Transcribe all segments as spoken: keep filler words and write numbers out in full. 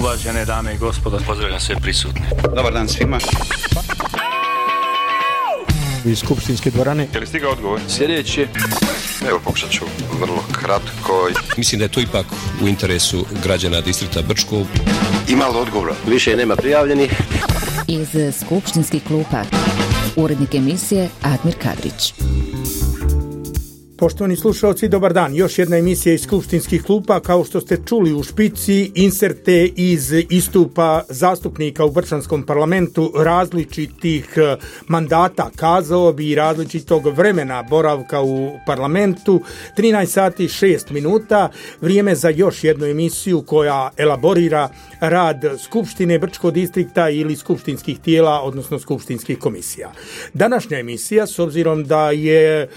Uvažene dame i gospodo, pozdravljam sve prisutne. Dobar dan svima. Iz skupštinske dvorane. Je li stigao odgovor? Sljedeći. Evo, pokušat ću vrlo kratko. Mislim da je to ipak u interesu građana distrikta Brčko. Ima li odgovora? Više nema prijavljenih. Iz skupštinskih klupa urednik emisije Admir Kadrić. Poštovani slušalci, dobar dan. Još jedna emisija iz skupštinskih klupa. Kao što ste čuli u špici, inserte iz istupa zastupnika u Brčanskom parlamentu različitih mandata, kazao bi, različitog vremena boravka u parlamentu. trinaest sati šest minuta, vrijeme za još jednu emisiju koja elaborira rad Skupštine Brčkog distrikta ili skupštinskih tijela, odnosno skupštinskih komisija. Današnja emisija, s obzirom da je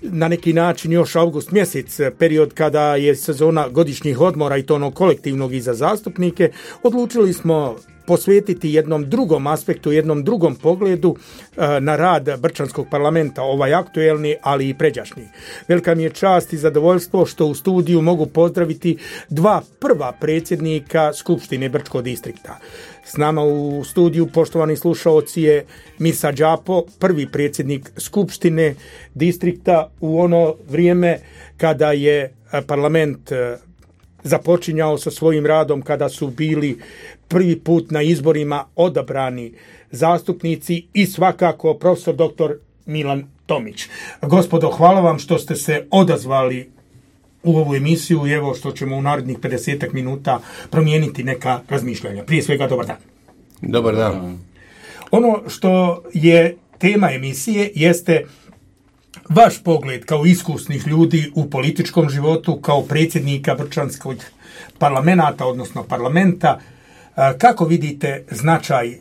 na neki način još avgust mjesec, period kada je sezona godišnjih odmora i to ono kolektivnog i za zastupnike, odlučili smo posvetiti jednom drugom aspektu, jednom drugom pogledu na rad Brčanskog parlamenta, ovaj aktuelni, ali i pređašnji. Velika mi je čast i zadovoljstvo što u studiju mogu pozdraviti dva prva predsjednika Skupštine Brčkog distrikta. S nama u studiju, poštovani slušaoci, je Mirsa Đapo, prvi predsjednik Skupštine distrikta u ono vrijeme kada je parlament započinjao sa svojim radom, kada su bili prvi put na izborima odabrani zastupnici, i svakako profesor doktor Milan Tomić. Gospodo, hvala vam što ste se odazvali u ovu emisiju i evo što ćemo u narednih pedesetak minuta promijeniti neka razmišljanja. Prije svega, dobar dan. Dobar dan. Ono što je tema emisije jeste vaš pogled kao iskusnih ljudi u političkom životu, kao predsjednika Brčanskog parlamenta, odnosno parlamenta. Kako vidite značaj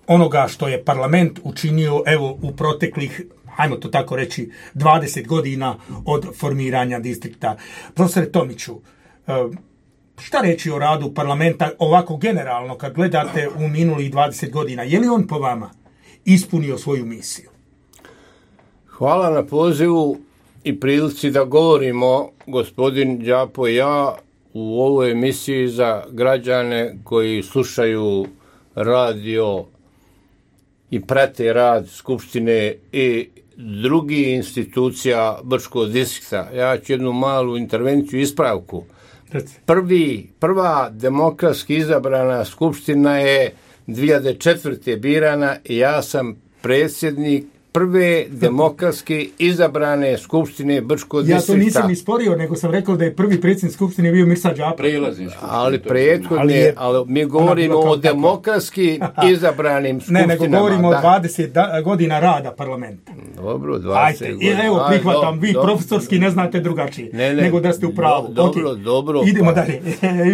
onoga što je parlament učinio evo u proteklih, ajmo to tako reći, dvadeset godina od formiranja distrikta? Profesore Tomiću, šta reći o radu parlamenta ovako generalno kad gledate u minulih dvadeset godina? Je li on po vama ispunio svoju misiju? Hvala na pozivu i prilici da govorimo, gospodin Đapo i ja, u ovoj emisiji za građane koji slušaju radio i prate rad Skupštine i drugih institucija Brčkog distrikta. Ja ću jednu malu intervenciju, ispravku. Prvi, prva demokratski izabrana skupština je dvije hiljade četvrte birana i ja sam predsjednik prve demokratski izabrane skupštine Brčkog distrikta. Ja to nisam isporio, nego sam rekao da je prvi predsjednik skupštine bio Mirsa Đapo. Ali prethodne, ali mi govorimo o demokratski izabranim skupštinama. Ne, nego govorimo da. o dvadeset da, godina rada parlamenta. Dobro, dvadeset Ajde, godina. Evo, prihvatam, vi dobro, profesorski ne znate drugačije, ne, ne, nego da ste u pravu. Dobro, okay. dobro. Idemo pa. dalje,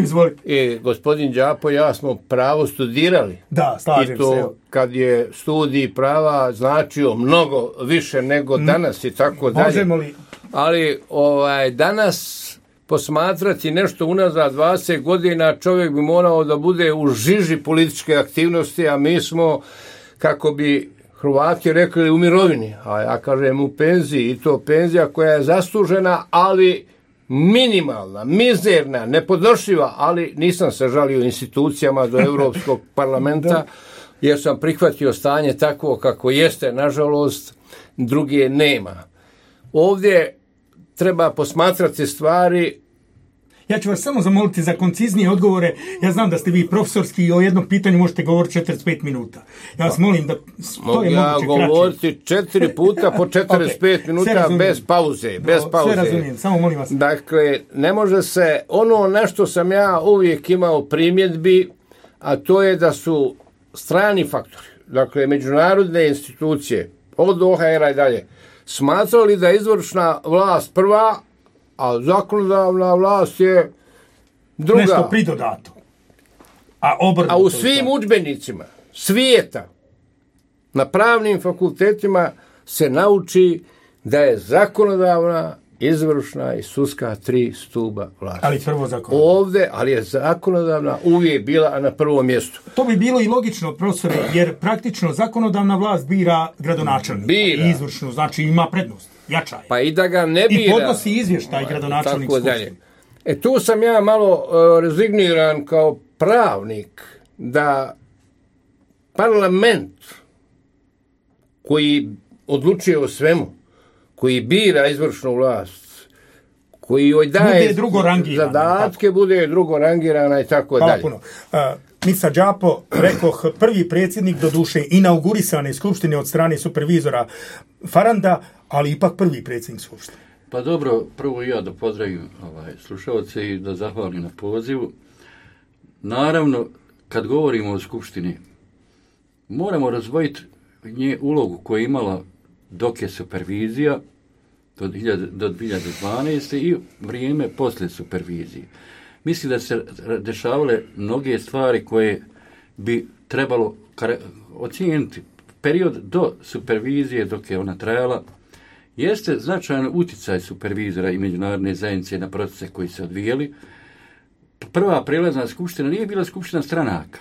izvolite. E, gospodin Đapo i ja smo pravo studirali. Da, slažem I to, se. kad je studij prava značio mnogo više nego danas i tako dalje. Možemo li? Ali ovaj, danas posmatrati nešto unazad dvadeset godina, čovjek bi morao da bude u žiži političke aktivnosti, a mi smo, kako bi Hrvati rekli, u mirovini, a ja kažem u penziji, i to penzija koja je zaslužena, ali minimalna, mizerna, nepodnošljiva, ali nisam se žalio institucijama do Europskog parlamenta, jer sam prihvatio stanje takvo kako jeste, nažalost, druge nema. Ovdje treba posmatrati stvari. Ja ću vas samo zamoliti za konciznije odgovore. Ja znam da ste vi profesorski i o jednom pitanju možete govoriti četrdeset pet minuta. Ja vas molim da to je moguće kraće. Mogu ja govoriti četiri puta po četrdeset pet okay, minuta bez pauze. Bez pauze. Sve razumijem, samo molim vas. Dakle, ne može se, ono na što sam ja uvijek imao primjedbi, a to je da su strani faktori, dakle međunarodne institucije, od O H R-a i dalje, smatrali da je izvršna vlast prva, a zakonodavna vlast je druga. Nešto pridodato. A, a u svim udžbenicima svijeta, na pravnim fakultetima se nauči da je zakonodavna, izvršna i sudska tri stuba vlasti. Ali prvo zakonodavna. Ovdje, ali je zakonodavna uvijek bila na prvom mjestu. To bi bilo i logično, profesore, jer praktično zakonodavna vlast bira gradonačelnika. Bira. I izvršnu, znači ima prednost, jača je. Pa i da ga ne bira. I podnosi izvještaj gradonačelnik skupštine. E tu sam ja malo uh, rezigniran kao pravnik da parlament koji odlučuje o svemu, koji bira izvršnu vlast, koji joj daje zadatke, bude drugo rangirana i tako Hvala dalje. Puno. Uh, Mica Đapo, rekoh, prvi predsjednik, doduše inaugurisane skupštine od strane supervizora Faranda, ali ipak prvi predsjednik skupštine. Pa dobro, prvo ja da pozdravim ovaj, slušalce i da zahvalim na pozivu. Naravno, kad govorimo o skupštini, moramo razvojiti nje ulogu koju je imala dok je supervizija do, do dvije hiljade dvanaeste. i vrijeme poslije supervizije. Mislim da se dešavale mnoge stvari koje bi trebalo ocijeniti. Period do supervizije, dok je ona trajala, jeste značajan utjecaj supervizora i međunarodne zajednice na procese koji se odvijali. Prva prelazna skupština nije bila skupština stranaka,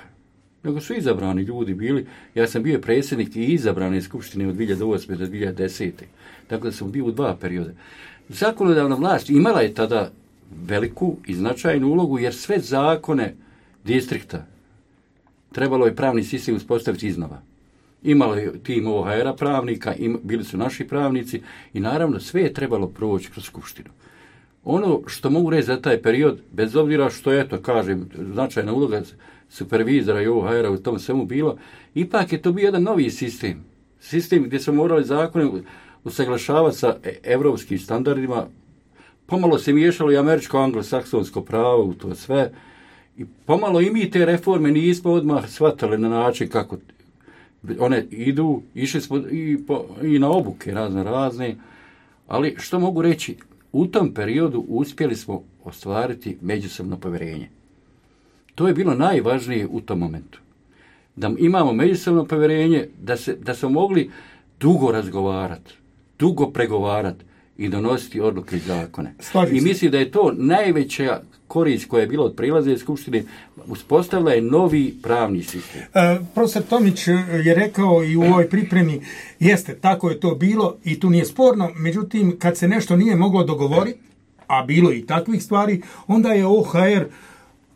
nego su izabrani ljudi bili. Ja sam bio predsjednik i izabrane skupštine od dvije hiljade osme do dvije hiljade desete. Dakle, sam bio u dva perioda. Zakonodavna vlast imala je tada veliku i značajnu ulogu, jer sve zakone distrikta trebalo je pravni sistem uspostaviti iznova. Imalo je tim O H R-a pravnika, im, bili su naši pravnici i naravno sve je trebalo proći kroz skupštinu. Ono što mogu reći za taj period, bez obzira što je to, kažem, značajna uloga supervizora i O H R-a u tom svemu bilo, ipak je to bio jedan novi sistem. Sistem gdje smo morali zakone usaglašavati sa evropskim standardima. Pomalo se miješalo i američko-anglosaksonsko pravo u to sve. I pomalo i mi te reforme nismo odmah shvatali na način kako one idu. Išli smo i, po, i na obuke razne razne. Ali što mogu reći, u tom periodu uspjeli smo ostvariti međusobno povjerenje. To je bilo najvažnije u tom momentu. Da imamo međusobno povjerenje, da, se, da smo mogli dugo razgovarati, dugo pregovarati i donositi odluke i zakone. Slažim I mislim da je to najveća korist koja je bila od prilaze skupštine, uspostavila je novi pravni sistem. E, profesor Tomić je rekao i u ovoj pripremi, jeste, tako je to bilo i tu nije sporno, međutim, kad se nešto nije moglo dogovoriti, a bilo i takvih stvari, onda je O H R,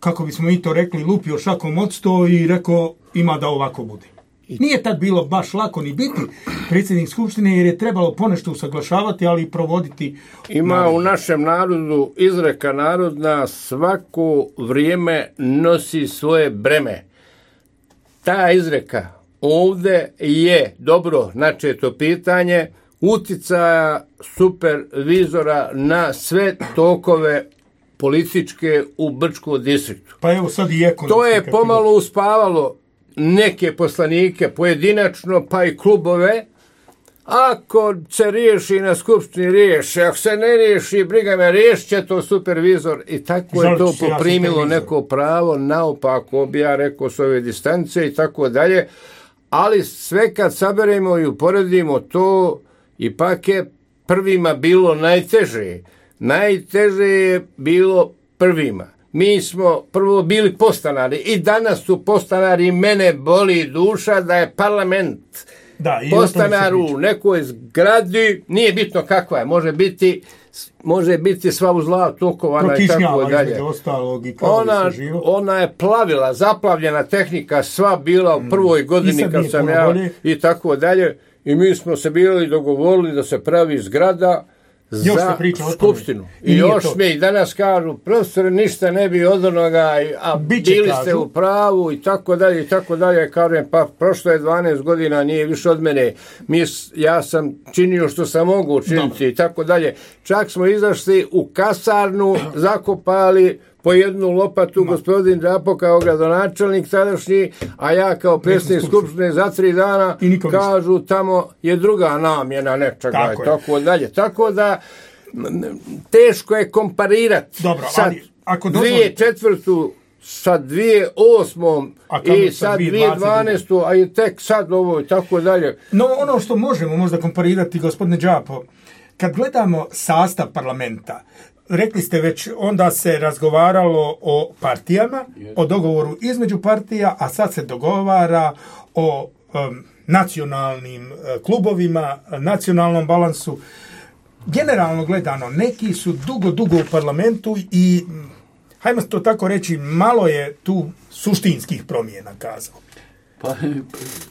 kako bismo i to rekli, lupio šakom od sto i rekao, ima da ovako bude. Nije tad bilo baš lako ni biti predsjednik skupštine, jer je trebalo ponešto usaglašavati, ali i provoditi. Ima narod. U našem narodu izreka narodna, svako vrijeme nosi svoje breme. Ta izreka ovdje je dobro načeto pitanje utjecaja supervizora na sve tokove političke u Brčkom distriktu. Pa evo sad i ekonomski. To je pomalo uspavalo neke poslanike pojedinačno, pa i klubove. Ako se riješi na skupštini, riješi. Ako se ne riješi, briga me, riješit će to supervizor. I tako Žal, je to poprimilo ja neko pravo, naopako bi ja rekao s ove distance i tako dalje. Ali sve kad saberemo i uporedimo to, ipak je prvima bilo najteže. Najteže je bilo prvima. Mi smo prvo bili podstanari i danas su podstanari, mene boli duša da je parlament da, podstanar u nekoj zgradi, nije bitno kakva je, može biti, može biti sva u zla tokovana i tako dalje. Ona, ona je plavila, zaplavljena tehnika, sva bila u prvoj godini kad sam ja bolje. I tako dalje. I mi smo se bili dogovorili da se pravi zgrada za skupštinu. I, I još mi i danas kažu, profesor, ništa ne bi od onoga, a Biće bili kažu. Ste u pravu i tako dalje i tako dalje. Kažem, pa prošlo je dvanaest godina, nije više od mene. Mi, ja sam činio što sam mogu učiniti i tako dalje. Čak smo izašli u kasarnu, zakopali po jednu lopatu, no. Gospodin Đapo kao gradonačelnik tadašnji, a ja kao predsjednik skupštine za tri dana kažu tamo je druga namjena nečega tako i tako dalje. Tako da teško je komparirati Dobro, sad ali, ako dvije četvrtu sa dvije osmom i sad dvije dvanaestu, a i tek sad ovo i tako dalje. No ono što možemo možda komparirati, gospodine Đapo, kad gledamo sastav parlamenta, rekli ste već, onda se razgovaralo o partijama, o dogovoru između partija, a sad se dogovara o um, nacionalnim uh, klubovima, nacionalnom balansu. Generalno gledano, neki su dugo, dugo u parlamentu i hajmo to tako reći, malo je tu suštinskih promjena kazao. Pa,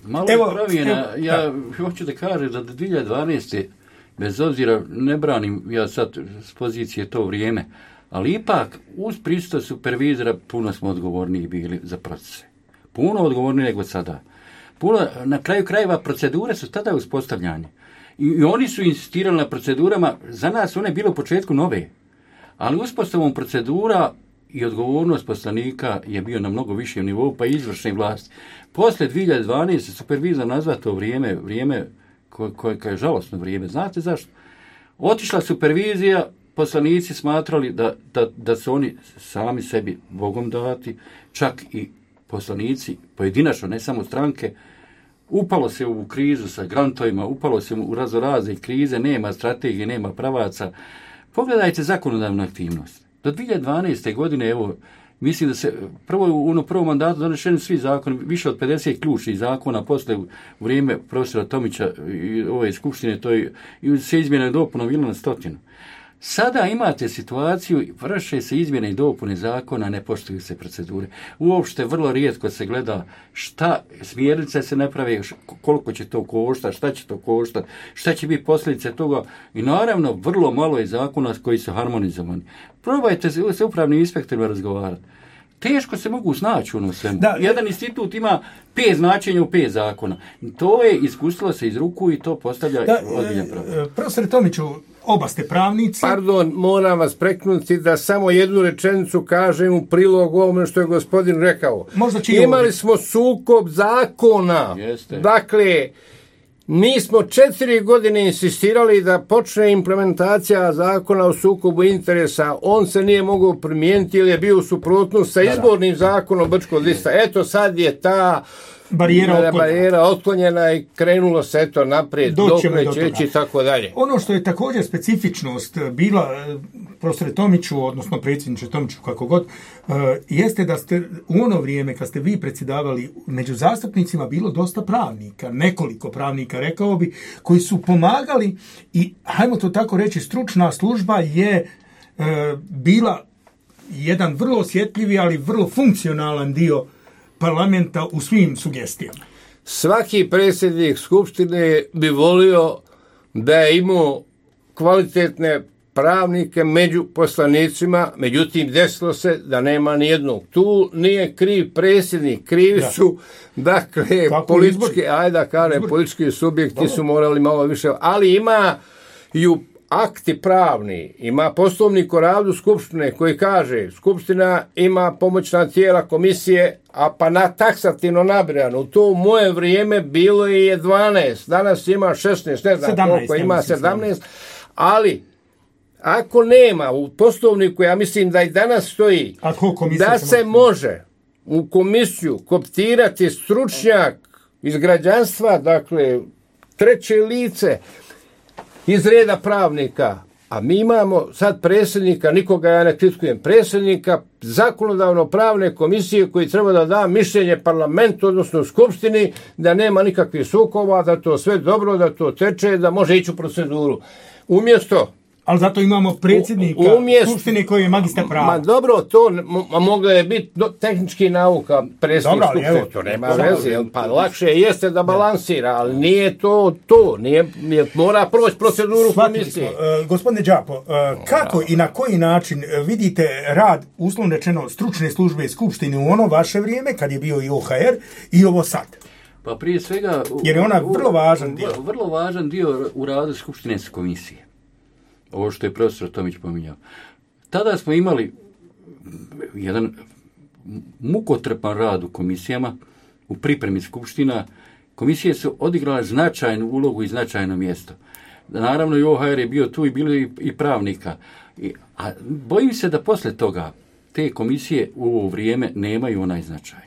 malo Evo, je promjena. evo, ja da. hoću da kažem da do dvije hiljade dvanaeste. bez obzira, ne branim ja sad s pozicije to vrijeme, ali ipak uz prisustvo supervizora puno smo odgovorniji bili za procese. Puno odgovorniji nego sada. Puno, na kraju krajeva procedure su tada uspostavljanje. I, I oni su insistirali na procedurama, za nas one bile u početku nove. Ali uspostavom procedura i odgovornost poslanika je bio na mnogo višem nivou, pa i izvršne vlasti. Posle dvije hiljade dvanaeste. supervizor nazva to vrijeme, vrijeme koje, koje, koje je žalosno vrijeme. Znate zašto? Otišla supervizija, poslanici smatrali da, da, da su oni sami sebi Bogom dati, čak i poslanici, pojedinačno, ne samo stranke, upalo se u krizu sa grantovima, upalo se u razorazne krize, nema strategije, nema pravaca. Pogledajte zakonodavnu aktivnost. Do dvije hiljade dvanaeste. godine, evo, mislim da se prvo u ono prvom mandatu donešeni svi zakoni, više od pedeset ključnih zakona, posle u vrijeme profesora Tomića i ove skupštine, to je, i se izmjene i dopune bilo na stotinu. Sada imate situaciju, vrše se izmjene i dopune zakona, ne poštuju se procedure. Uopšte vrlo rijetko se gleda šta, smjernice se ne prave, koliko će to koštati, šta će to koštati, šta će biti posljedice toga. I naravno, vrlo malo je zakona koji su harmonizovani. Probajte se s upravnim inspektorima razgovarati. Teško se mogu snaći u ono svemu. Da, jedan institut ima pet značenja u pet zakona. To je ispustilo se iz ruku i to postavlja ozbiljan problem. Profesor Tomiću, oba ste pravnici. Pardon, moram vas preknuti da samo jednu rečenicu kažem u prilog ovome što je gospodin rekao. Imali smo sukob zakona. Jeste. Dakle, mi smo četiri godine insistirali da počne implementacija zakona o sukobu interesa. On se nije mogao primijeniti jer je bio u suprotnosti sa izbornim zakonom Brčkog lista. Eto, sad je ta barijera otklonjena. barijera otklonjena i krenulo se eto naprijed, dokle će ići i tako dalje. Ono što je također specifičnost bila, profesore Tomiću, odnosno predsjedniče Tomiću, kako god, jeste da ste u ono vrijeme kad ste vi predsjedavali, među zastupnicima bilo dosta pravnika, nekoliko pravnika, rekao bi, koji su pomagali i, hajmo to tako reći, stručna služba je bila jedan vrlo osjetljivi, ali vrlo funkcionalan dio parlamenta u svim sugestijama. Svaki predsjednik skupštine bi volio da je imao kvalitetne pravnike među poslanicima, međutim desilo se da nema ni jednog. Tu nije kriv predsjednik, krivi da. su dakle Kako politički, izbor? ajde da kažem, politički subjekti Dobro. su morali malo više, ali ima i u akti pravni, ima poslovnik o radu skupštine koji kaže skupština ima pomoćna tijela komisije, a pa na taksativno nabirano. U to u moje vrijeme bilo je dvanaest, danas ima šesnaest, ne znam sedamnaest, koliko ima sedamnaest, ali ako nema u poslovniku, ja mislim da i danas stoji da se, se može u komisiju koptirati stručnjak iz građanstva, dakle treće lice, iz reda pravnika, a mi imamo sad predsjednika, nikoga ja ne kritikujem, predsjednika zakonodavno pravne komisije koji treba da da mišljenje parlamentu, odnosno skupštini, da nema nikakvih sukoba, da to sve dobro, da to teče, da može ići u proceduru. Umjesto ali zato imamo predsjednika umjest, skupštine koji je magistar prava. Ma dobro, to m- moglo je biti do, tehnički nauka predsjednik skupštine. To nema veze. Pa lakše jeste da balansira, ali nije to to. Nije, nije, mora proći proceduru komisije. Uh, gospodine Đapo, uh, kako i na koji način vidite rad, uslovno rečeno, stručne službe skupštine u ono vaše vrijeme, kad je bio i O H R, i ovo sad? Pa prije svega... Jer je ona vrlo važan dio. Vrlo važan dio u radu skupštine komisije. Ovo što je profesor Tomić pominjao. Tada smo imali jedan mukotrpan rad u komisijama, u pripremi skupština. Komisije su odigrale značajnu ulogu i značajno mjesto. Naravno i O H R je bio tu i bilo i, i pravnika. I, a bojim se da posle toga te komisije u ovo vrijeme nemaju onaj značaj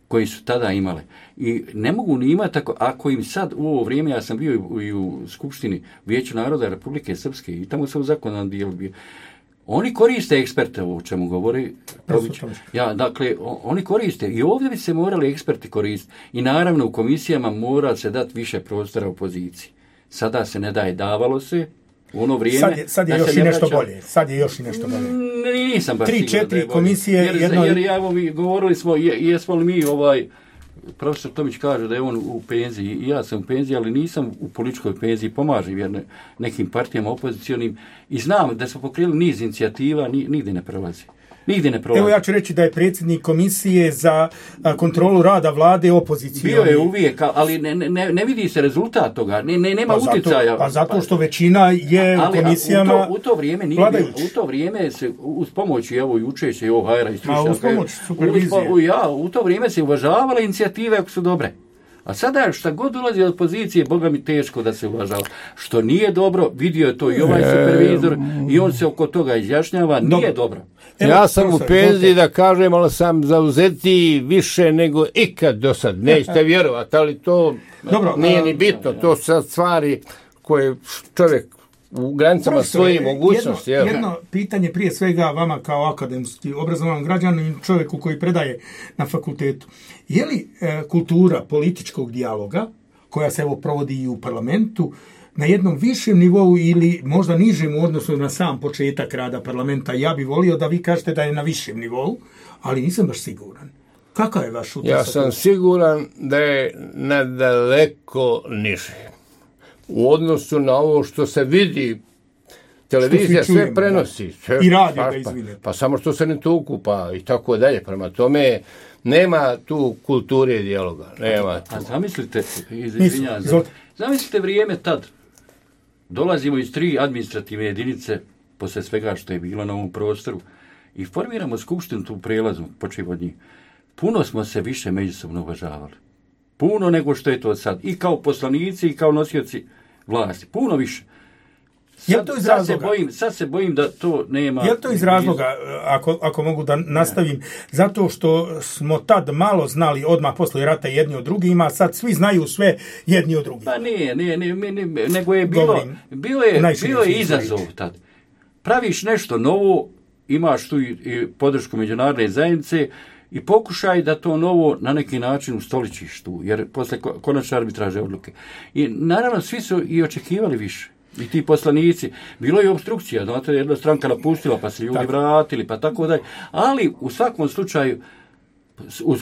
koji su tada imale. I ne mogu ni imati, ako, ako im sad u ovo vrijeme, ja sam bio i u, i u Skupštini Vijeća naroda Republike Srpske i tamo sam u zakonom dijelu bio. Oni koriste eksperte, o čemu govori Tomić. Ja, dakle, o, oni koriste. I ovdje bi se morali eksperti koristiti. I naravno u komisijama mora se dati više prostora opoziciji. Sada se ne daje, davalo se, U ono vrijeme, sad je, sad je još i nešto vraća... bolje. Sad je još i nešto bolje. Nisam baš Tri, četiri komisije. Jer, jedno... jer ja, mi govorili smo, je, jesmo li mi ovaj... Profesor Tomić kaže da je on u penziji, i ja sam u penziji, ali nisam u političkoj penziji, pomažem jer nekim partijama opozicionim i znam da smo pokrili niz inicijativa, ni, nigdje ne prolazi. Nigdje ne prolazi. Evo ja ću reći da je predsjednik komisije za kontrolu rada vlade opozicije. Bio je uvijek, ali ne, ne, ne vidi se rezultat toga, ne, ne, nema pa utjecaja. Zato, pa zato što većina je ali, u komisijama u to, u to vrijeme nije bilo, u to vrijeme se uz pomoć evo i učeće i ovog hajra i stručnjaka. Uz pomoć supervizije. Uz, ja, u to vrijeme se uvažavale inicijative ako su dobre. A sada šta god ulazi od pozicije, Boga mi teško da se uvažava. Što nije dobro, vidio je to i ovaj supervizor i on se oko toga izjašnjava, nije dobro. Evo, ja sam profesor, u penziji da kažem, ali sam zauzetiji više nego ikad do sad. Nećete vjerovati, ali to dobro, nije ni bitno. To su sad stvari koje čovjek u granicama svoje mogućnosti. Jedno, jedno pitanje prije svega vama kao akademski obrazovan građanin, čovjeku koji predaje na fakultetu. Je li e, kultura političkog dijaloga, koja se evo provodi i u parlamentu, na jednom višem nivou ili možda nižem u odnosu na sam početak rada parlamenta? Ja bih volio da vi kažete da je na višem nivou, ali nisam baš siguran. Kakav je vaš utisak? Ja sam siguran da je nadaleko niže. U odnosu na ovo što se vidi, televizija čujemo, sve prenosi. Sve, i radio pa, ga izvine. Pa, pa samo što se ne tuku, pa i tako dalje. Prema tome, nema tu kulture dijaloga. Nema a, tu. a zamislite, izvinjam, zamislite vrijeme tad. Dolazimo iz tri administrativne jedinice, posle svega što je bilo na ovom prostoru, i formiramo skupštinu tu prelazu, počev od njih. Puno smo se više međusobno uvažavali. Puno nego što je to sad. I kao poslanici, i kao nosioci vlasti. Puno više. Sad, to iz sad, se bojim, sad se bojim da to nema... Je to iz razloga, ako, ako mogu da nastavim, zato što smo tad malo znali odmah posle rata jedni od drugima, sad svi znaju sve jedni od drugih. Pa nije, nije, nije, nije nego je bilo, bilo je, bilo je izazov tad. Praviš nešto novo, imaš tu i, i podršku međunarodne zajednice, i pokušaj da to novo na neki način ustoličiš tu, jer posle konačne arbitraže odluke. I naravno svi su i očekivali više. I ti poslanici. Bilo je obstrukcija, znate, jedna stranka napustila, pa se ljudi tako vratili, pa tako dalje. Ali u svakom slučaju, uz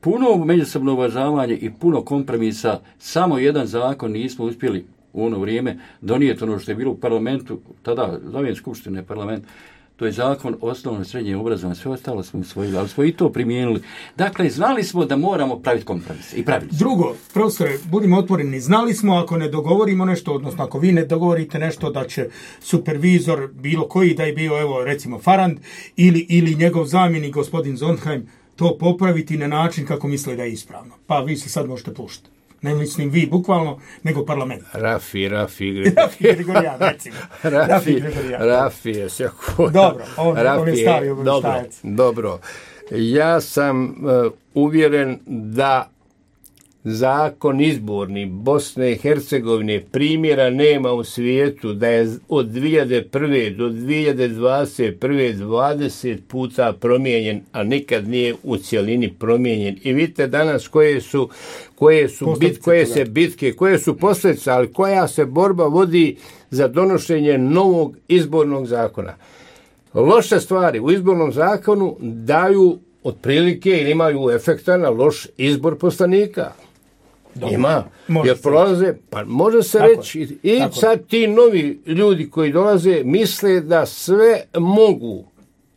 puno međusobno uvažavanje i puno kompromisa, samo jedan zakon nismo uspjeli u ono vrijeme donijeti ono što je bilo u parlamentu, tada, zovem skupštine parlament, to je zakon osnovno i srednje obrazovanje, sve ostalo smo usvojili, ali smo i to primijenili. Dakle, znali smo da moramo praviti kompromise i pravili smo. Drugo, profesore, budimo otvoreni, znali smo ako ne dogovorimo nešto, odnosno ako vi ne dogovorite nešto da će supervizor, bilo koji da je bio, evo recimo Farand, ili, ili njegov zamjenik, gospodin Zondheim, to popraviti na način kako misle da je ispravno. Pa vi se sad možete puštati. Ne mislim vi bukvalno, nego parlament. Rafi, Rafi, Rafi Gregorijan, recimo. Rafi, Rafi Gregorijan. Rafi je sjako. Dobro, on, Rafi on je stavi obavještajac. Dobro, dobro. Ja sam uh, uvjeren da zakon izborni Bosne i Hercegovine primjera nema u svijetu, da je od dvije hiljade prve do dvije hiljade dvadeset prve dvadeset puta promijenjen, a nikad nije u cjelini promijenjen. I vidite danas koje su, koje su bit, koje se bitke, koje su posljedice, ali koja se borba vodi za donošenje novog izbornog zakona. Loše stvari u izbornom zakonu daju otprilike ili imaju efekta na loš izbor poslanika. Dobro. Ima, može jer prolaze, pa može se tako reći, i tako sad ti novi ljudi koji dolaze misle da sve mogu.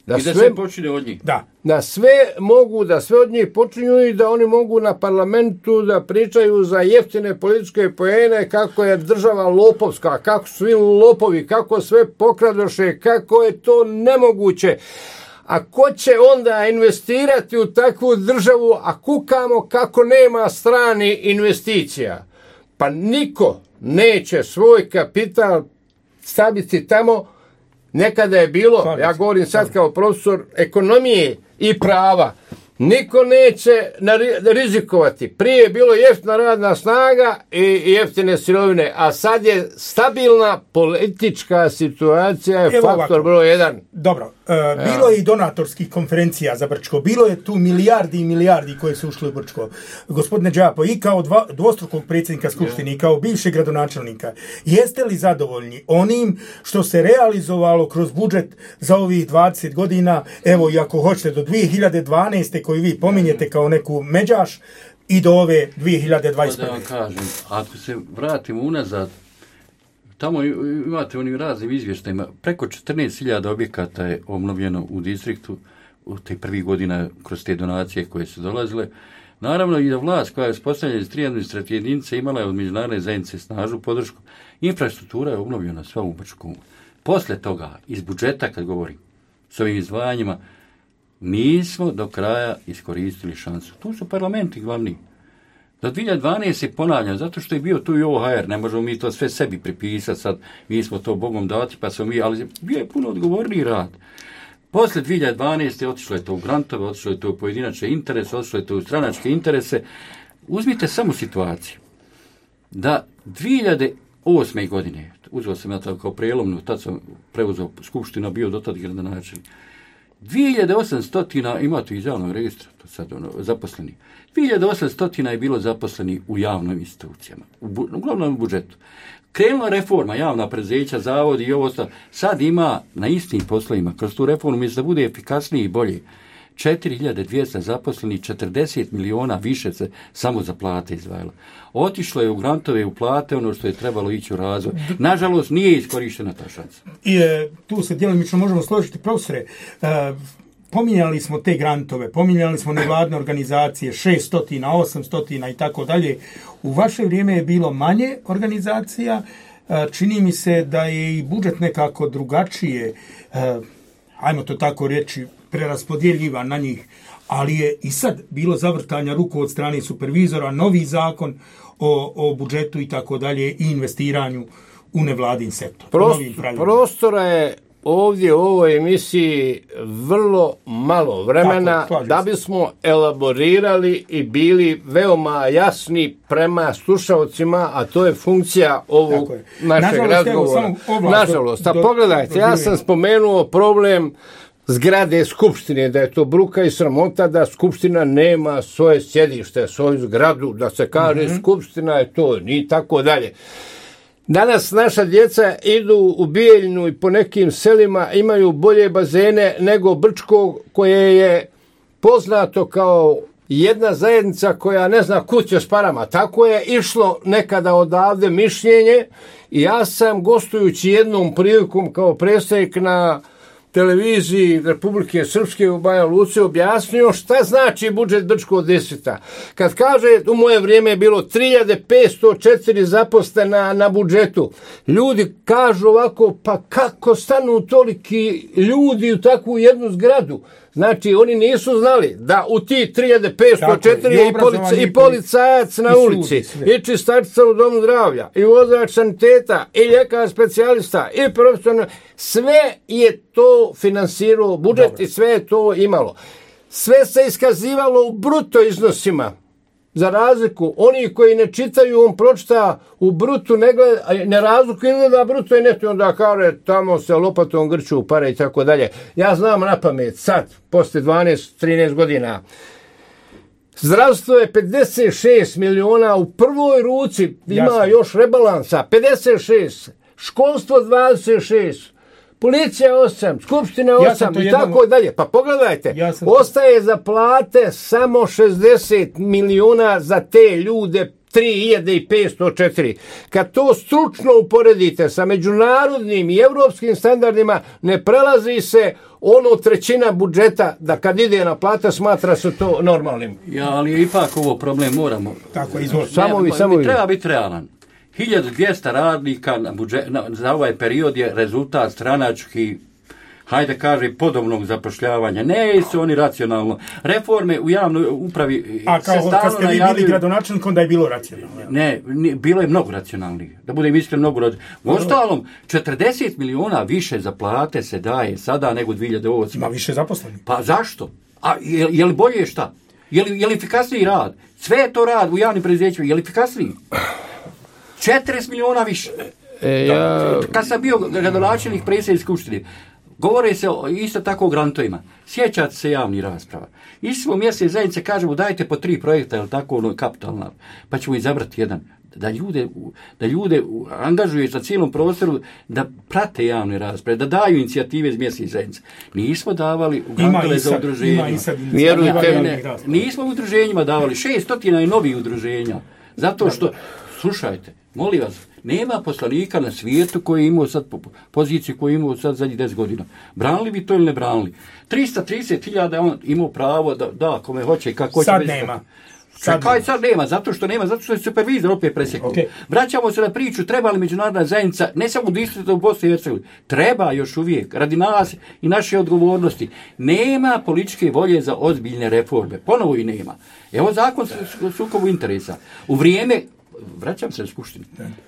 Da I da sve počine od njih. Da. Da sve mogu, da sve od njih počinju i da oni mogu na parlamentu da pričaju za jeftine političke poene, kako je država lopovska, kako su svi lopovi, kako sve pokradoše, kako je to nemoguće. A ko će onda investirati u takvu državu, a kukamo kako nema strani investicija? Pa niko neće svoj kapital staviti tamo. Nekada je bilo, ja govorim sad kao profesor ekonomije i prava, Niko neće rizikovati. Prije je bilo jeftina radna snaga i jeftine sirovine, a sad je stabilna politička situacija, je Evo faktor ovako. broj jedan. Dobro, e, bilo je i donatorskih konferencija za Brčko, bilo je tu milijardi i milijardi koje su ušli u Brčko. Gospodine Đapo, i kao dva, dvostrukog predsjednika Skupštine, i kao bivšeg gradonačelnika, jeste li zadovoljni onim što se realizovalo kroz budžet za ovih dvadeset godina, evo i ako hoćete do dvije hiljade dvanaeste koju vi pominjete kao neku međaš, i do ove dvije hiljade dvadeset prve. Da vam kažem, ako se vratimo unazad, tamo imate onim raznim izvještajima, preko četrnaest hiljada objekata je obnovljeno u distriktu u te prvih godina kroz te donacije koje su dolazile. Naravno i da vlast koja je uspostavljena iz tri administrativne jedinice imala je od međunarodne zajednice snažnu podršku. Infrastruktura je obnovljena sva u Brčku. Posle toga, iz budžeta kad govorim, s ovim izdvajanjima, nismo do kraja iskoristili šansu. Tu su parlamenti glavni. Do dvije hiljade dvanaeste ponavljam, zato što je bio tu i O H R, ne možemo mi to sve sebi pripisati, sad mi smo to Bogom dati, pa smo mi, ali bio je puno odgovorniji rad. Posle dvije hiljade dvanaeste otišlo je to u grantove, otišlo je to u pojedinačne interese, otišlo je to u stranačke interese. Uzmite samo situaciju da dvije hiljade osme godine, uzeo sam ja to kao prelomnu, tad sam preuzeo skupštinu, bio do tad gradonačelnik, dvije hiljade osamsto imate iz javnog registra, to sad ono, zaposleni. dvije hiljade osamsto je bilo zaposleni u javnim institucijama, u, bu, uglavnom u budžetu. Krenula reforma, javna preduzeća, zavodi i ovo ostalo. Sad ima na istim poslovima, kroz tu reformu, mislim da bude efikasniji i bolji, četiri hiljade dvjesto zaposleni, četrdeset miliona više se samo za plate izdvajalo. Otišlo je u grantove, u plate, ono što je trebalo ići u razvoj. Nažalost, nije iskorištena ta šansa. I e, tu se djelomično možemo složiti, profesore. E, pominjali smo te grantove, pominjali smo nevladne organizacije, šesto, osamsto i tako dalje. U vaše vrijeme je bilo manje organizacija. E, čini mi se da je i budžet nekako drugačije, e, ajmo to tako reći, preraspodjeljivan na njih, ali je i sad bilo zavrtanja ruku od strane supervizora, novi zakon o, o budžetu i tako dalje i investiranju u nevladin sektor. Prost, prostora je ovdje u ovoj emisiji vrlo malo vremena tako, da bismo elaborirali i bili veoma jasni prema slušalcima, a to je funkcija ovog našeg nažalost, razgovora. Evo, nažalost, a pogledajte, do, do, ja sam spomenuo problem zgrade Skupštine, da je to bruka i sramota da Skupština nema svoje sjedište, svoju zgradu, da se kaže mm-hmm. Skupština je to, ni tako dalje. Danas naša djeca idu u Bijeljinu i po nekim selima imaju bolje bazene nego Brčko, koje je poznato kao jedna zajednica koja ne zna kud će s parama. Tako je išlo nekada odavde mišljenje i ja sam gostujući jednom prilikom kao predstavnik na televiziji Republike Srpske u Banja Luci objasnio šta znači budžet Brčkog distrikta. Kad kaže u moje vrijeme je bilo tri hiljade petsto četiri zaposlena na budžetu, ljudi kažu ovako, pa kako stanu toliki ljudi u takvu jednu zgradu? Znači, oni nisu znali da u ti tri hiljade petsto četiri i, polica, i policajac na ulici, sudi, i čistačica u domu zdravlja, i vozač saniteta, i ljekar specijalista, i profesionalno, sve je to finansirao budžet. Dobro. I sve je to imalo. Sve se iskazivalo u bruto iznosima. Za razliku, oni koji ne čitaju, on pročita u brutu, ne, gleda, ne razliku izgleda bruto i neto, onda kaže tamo se lopatom grču pare i tako dalje. Ja znam na pamet, sad, posle dvanaest trinaest godina, zdravstvo je pedeset šest miliona u prvoj ruci, ima Jasne. Još rebalansa, pedeset šest, školstvo dvadeset šest, policija osam, skupština osam ja i jednom... tako dalje. Pa pogledajte, ja ostaje to... za plate samo šezdeset miliona za te ljude, tri hiljade petsto četiri. Kad to stručno uporedite sa međunarodnim i evropskim standardima, ne prelazi se ono trećina budžeta da kad ide na plata smatra se to normalnim. Ja, ali ipak ovo problem moramo. Tako, izvolite. Samo vi, samo vi. Treba biti realan. hiljadu dvjesto radnika na budžet, na, za ovaj period je rezultat stranački, hajde kaže, podobnog zapošljavanja. Ne su oni racionalno. Reforme u javnoj upravi A kao se kad ste vi bili gradonačelnik, onda je bilo racionalno. Ne, ne, bilo je mnogo racionalnije. Da budem iskren, mnogo racionalnije. U ostalom, četrdeset miliona više za plate se daje sada nego dvije hiljade osme. Ima više zaposlenih. Pa zašto? A je, je li bolje šta? Je li, je li efikasniji rad? Sve je to rad u javnim preduzećima. Je li efikasniji? četrdeset miliona više. E, ja... Kad sam bio gradonačelnik predsjednik skupštine, govore se o, isto tako o grantovima. Sjećate se javnih rasprava. Isto smo mjesne zajednice, kažemo dajte po tri projekta, ili tako ono kapitalna, pa ćemo izabrati jedan. Da ljude, da ljude angažuje na cijelom prostoru da prate javne rasprave, da daju inicijative iz mjesnih zajednica. Nismo davali u grantove za udruženja. Vjerujte, nismo u udruženjima davali. Šestotina je novih udruženja. Zato što, slušajte, molim vas, nema poslanika na svijetu koji je imao sad poziciju koju je imao sad zadnjih deset godina. Branili bi to ili ne branili? tristo trideset hiljada on imao pravo da, da kome hoće i kako hoće. Sad nema. Sad, Kaj sad nema, zato što nema, zato što je supervizor opet presjekao. Okay. Vraćamo se na priču, treba li međunarodna zajednica, ne samo distrikta u Bosni i Hercegovini, treba još uvijek, radi nas i naše odgovornosti. Nema političke volje za ozbiljne reforme, ponovo i nema. Evo zakon sukobu interesa. U vrijeme, vraćam se na skupštinu,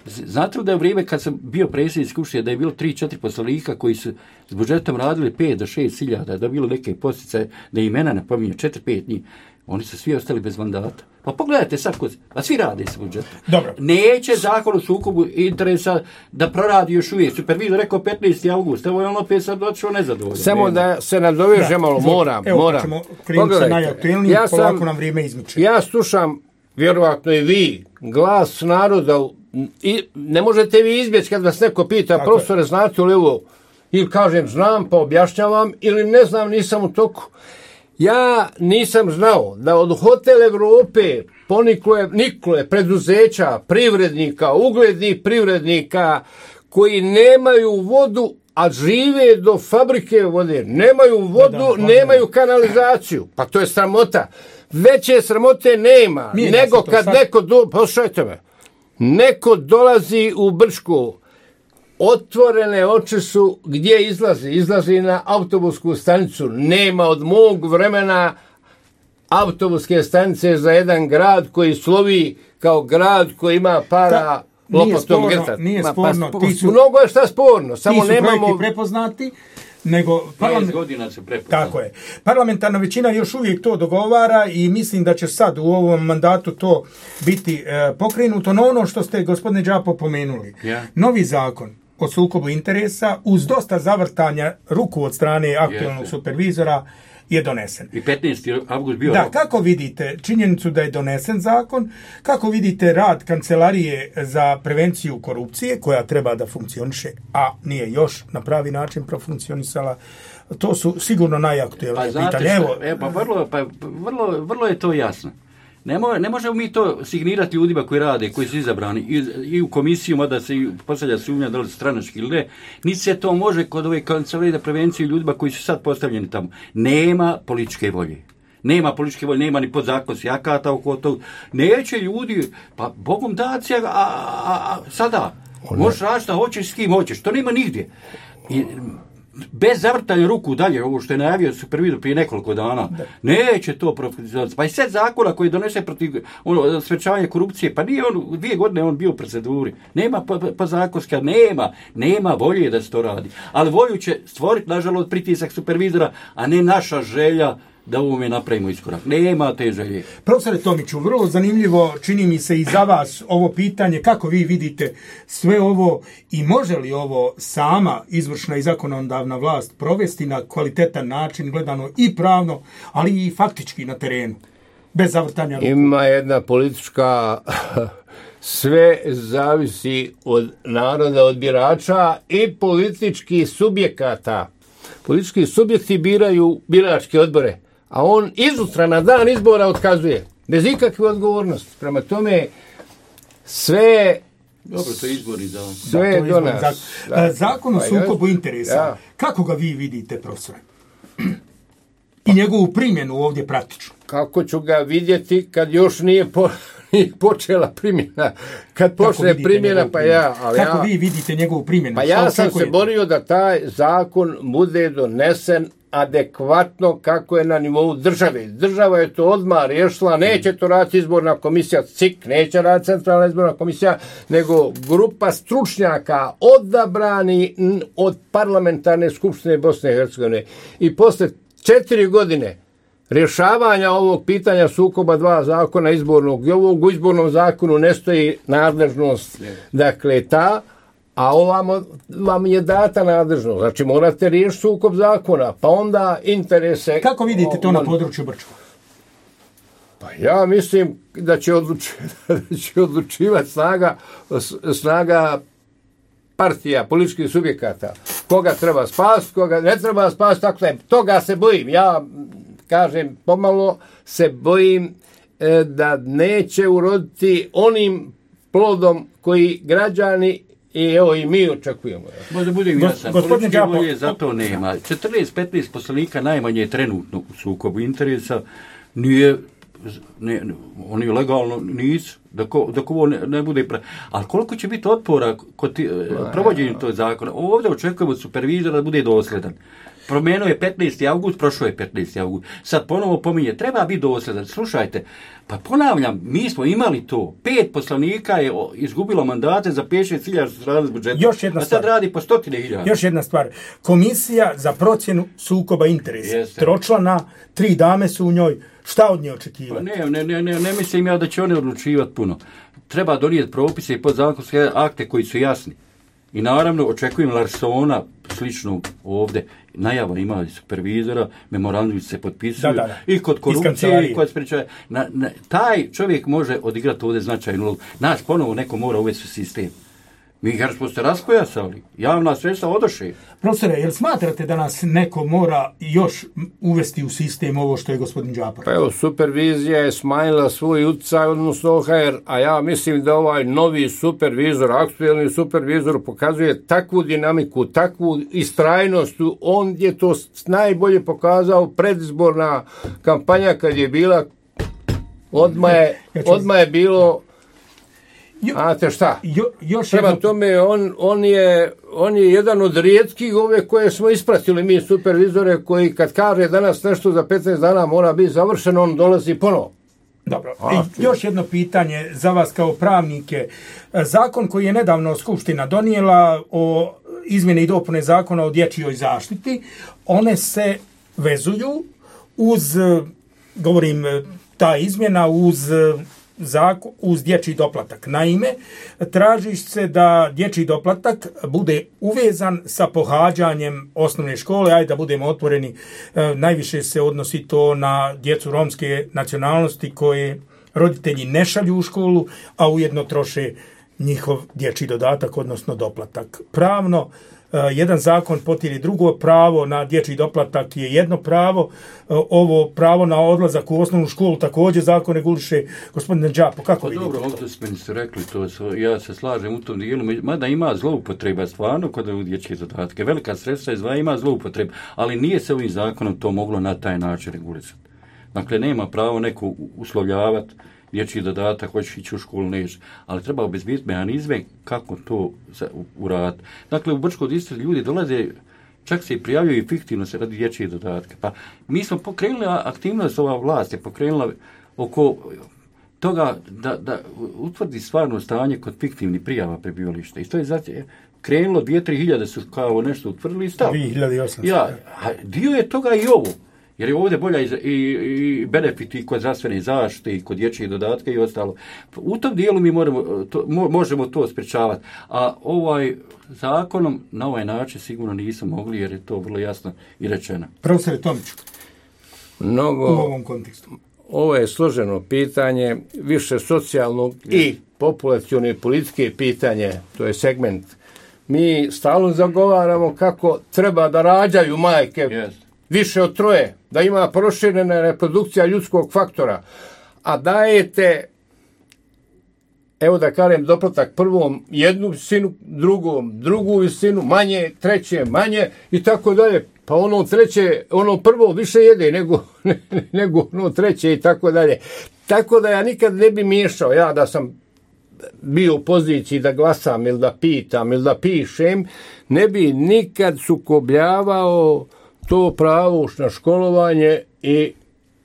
znate li da je u vrijeme kad sam bio predsjednik skupštine, da je bilo tri četiri poslanika koji su s budžetom radili pet do šest hiljada, da je bilo neke posticaje, da imena ne pominje, četiri pet njih. Oni su svi ostali bez mandata. Pa pogledajte sad, a svi rade s budžetom. Dobro. Neće zakon o sukobu interesa da proradi još uvijek. Supervizor rekao petnaesti avgust. Evo je on opet sad došao nezadovoljno. Samo da se nadoveže malo, moram. Evo, moram. pa ćemo krenuti sa najaktuelnijim, ja polako nam vrijeme izmiče. Ja slušam, vjerovatno i vi, glas naroda. I ne možete vi izbjeći kad vas neko pita, tako profesore, je. Znate li ovo? Ili kažem, znam pa objašnjavam, ili ne znam, nisam u toku. Ja nisam znao da od Hotel Evrope poniklo niklo je preduzeća, privrednika, uglednih privrednika koji nemaju vodu, a žive do fabrike vode. Nemaju vodu, da, da, nemaju kanalizaciju. Pa to je sramota. Veće sramote nema. Nije nego kad sad... neko, do... poslušajte me, neko dolazi u Brčko, otvorene oči su gdje izlazi. Izlazi na autobusku stanicu. Nema od mog vremena autobuske stanice za jedan grad koji slovi kao grad koji ima para lopatom grtati. Nije sporno. Pa, su, mnogo je šta sporno. Samo ti su nemamo... projekti prepoznati, nego... Parlament... godina se prepoznati. Tako je. Parlamentarna većina još uvijek to dogovara i mislim da će sad u ovom mandatu to biti e, pokrenuto. No ono što ste, gospodine Đapo, pomenuli. Yeah. Novi zakon o sukobu interesa uz dosta zavrtanja ruku od strane aktualnog yes. supervizora je donesen. I petnaesti avgust bio. Da, kako vidite činjenicu da je donesen zakon, kako vidite rad Kancelarije za prevenciju korupcije koja treba da funkcioniše, a nije još na pravi način profunkcionisala, to su sigurno najaktuelnije pa, pitanje. Evo, e, pa, vrlo, pa vrlo, vrlo je to jasno. Ne, mo, ne možemo mi to signirati ljudima koji rade, koji su izabrani i, i u komisiju, mada se postavlja sumnja da li su stranački ili ne. Niti se to može kod ove Kancelarije za prevenciju ljudima koji su sad postavljeni tamo. Nema političke volje. Nema političke volje, nema ni podzakonskih akata oko tog. Neće ljudi, pa Bogom daci, a, a, a sada možeš raditi šta hoćeš, s kim hoćeš. To nema nigdje. I, bez zavrtanja ruku dalje, ovo što je najavio supervizor prije nekoliko dana, da. Neće to profesionalno. Pa i set zakona koji donese protiv ono, sprečavanja korupcije, pa nije on, dvije godine on bio u proceduri. Nema pa, pa zakonska, nema, nema volje da se to radi. Ali volju će stvoriti, nažalost, pritisak supervizora, a ne naša želja da ovome napravimo iskorak. Nema te želje. Profesore Tomiću, vrlo zanimljivo čini mi se i za vas ovo pitanje, kako vi vidite sve ovo i može li ovo sama izvršna i zakonodavna vlast provesti na kvalitetan način, gledano i pravno, ali i faktički na terenu, bez zavrtanja ruku? Ima jedna politička... Sve zavisi od naroda, od birača i političkih subjekata. Politički subjekti biraju biračke odbore, a on izutra na dan izbora otkazuje, bez ikakve odgovornosti. Prema tome, sve... Dobro, to je izbori za... Sve da, do nas. Zakon, da. Zakon o sukobu interesa, da. Kako ga vi vidite, profesore? I njegovu primjenu ovdje praktično. Kako ću ga vidjeti kad još nije po, nije počela primjena? Kad počne primjena, pa ja... Ali Kako ja, vi vidite njegovu primjenu? Pa ja sam se borio da taj zakon bude donesen adekvatno kako je na nivou države. Država je to odmah riješila, neće to raditi izborna komisija, C I K, neće raditi centralna izborna komisija, nego grupa stručnjaka odabrani od parlamentarne skupštine Bosne i Hercegovine. I posle četiri godine rješavanja ovog pitanja sukoba dva zakona izbornog i ovog u izbornom zakonu ne stoji nadležnost, dakle ta, a ovamo vam je data nadležnost. Znači morate riješiti sukob zakona, pa onda interese... Kako vidite to na području Brčkog? Pa ja mislim da će, odluči, da će odlučivati snaga, snaga partija, političkih subjekata. Koga treba spasti, koga ne treba spasti, tako da je. Toga se bojim. Ja kažem, pomalo se bojim e, da neće uroditi onim plodom koji građani i evo i mi očekujemo. Možda budem jasan, političke volje zato nema. četrnaest petnaest poslanika najmanje je trenutno u sukobu interesa, nije, ne, oni legalno nisu, dok, dok ovo ne, ne bude pre... Ali koliko će biti otpora kod ti, provođenju tog zakona? Ovdje očekujemo od supervizora da bude dosljedan. Promijenio je petnaesti avgust, prošlo je petnaesti avgust. Sad ponovo pominje, treba biti dosljedan. Slušajte, pa ponavljam, mi smo imali to. Pet poslanika je izgubilo mandate za pet šest hiljada što se radi s budžetom. Još jedna a stvar. sad radi po stotine hiljada. Još jedna stvar. Komisija za procjenu sukoba interesa. Jeste. Tročlana, tri dame su u njoj. Šta od nje očekivati? Pa ne, ne, ne, ne, ne mislim ja da će oni odlučivati puno. Treba donijeti propise i podzakonske akte koji su jasni. I naravno očekujem Larsona sličnog ovdje. Najava ima supervizora, memorandumi se potpisuju da, da, da. I kod korupcije i kod sprečaja. Na, na, taj čovjek može odigrati ovdje značajnu ulogu. Nas ponovo neko mora uvesti u sistem. Mi jer smo se raskojasali, javna sredstva odoše. Profesore, jel smatrate da nas neko mora još uvesti u sistem ovo što je gospodin Đapar? Pa evo, supervizija je smanjila svoj utjecaj, odnosno O H R, a ja mislim da ovaj novi supervizor, aktuelni supervizor pokazuje takvu dinamiku, takvu istrajnost, on je to najbolje pokazao predizborna kampanja kad je bila, odmah je, odmah je bilo... Znate šta? Jo, još Prema jedno... tome, on, on, je, on je jedan od rijetkih ove koje smo ispratili mi supervizore koji kad kaže danas nešto za petnaest dana mora biti završeno, on dolazi ponovo. Dobro. I još jedno pitanje za vas kao pravnike. Zakon koji je nedavno Skupština donijela o izmjene i dopune zakona o dječjoj zaštiti, one se vezuju uz, govorim, ta izmjena uz zakon, uz dječji doplatak. Naime, traži se da dječji doplatak bude uvezan sa pohađanjem osnovne škole, ajde da budemo otvoreni, e, najviše se odnosi to na djecu romske nacionalnosti koje roditelji ne šalju u školu, a ujedno troše njihov dječji dodatak, odnosno doplatak. Pravno, jedan zakon potiri drugo, pravo na dječji doplatak je jedno pravo, ovo pravo na odlazak u osnovnu školu također zakon reguliše. Gospodine Đapo, kako pa vidite? Dobro, ovdje ste rekli to, ja se slažem u tom dijelu, mada ima zloupotreba stvarno kod ovih dječjih dodatke. Velika sredstva izdvaja, ima zloupotreba, ali nije se ovim zakonom to moglo na taj način regulisati. Dakle, nema pravo neko uslovljavati dječji dodatak, hoćeš ići u školu, neš, ali treba obezbijeti mehanizme kako to uraditi. Dakle, u Brčko distrikt ljudi dolaze, čak se i prijavljuju fiktivno se radi dječje dodatke. Pa mi smo pokrenuli aktivnost, ova vlast je pokrenula oko toga da, da utvrdi stvarno stanje kod fiktivnih prijava prebivališta. I to je zato krenulo, dvije, tri hiljade su kao nešto utvrdili i stav. dvije hiljade osamsto. Ja, a dio je toga i ovo. Jer je ovdje bolja i, i, i benefiti kod zdravstvene zaštite i kod dječjih dodatka i ostalo. U tom dijelu mi moramo, to, mo, možemo to sprečavati. A ovaj zakonom na ovaj način sigurno nismo mogli jer je to vrlo jasno i rečeno. Profesore Tomiću, Mnogo, u ovom kontekstu. Ovo je složeno pitanje, više socijalnog i populacione i političke pitanje, to je segment. Mi stalno zagovaramo kako treba da rađaju majke. Yes. Više od troje, da ima proširena reprodukcija ljudskog faktora, a dajete, evo da kažem, doplatak prvom jednu visinu, drugom drugu visinu, manje, treće manje i tako dalje. Pa ono treće, ono prvo više jede nego, nego ono treće i tako dalje. Tako da ja nikad ne bi miješao, ja da sam bio u poziciji da glasam ili da pitam ili da pišem, ne bi nikad sukobljavao to pravo na školovanje i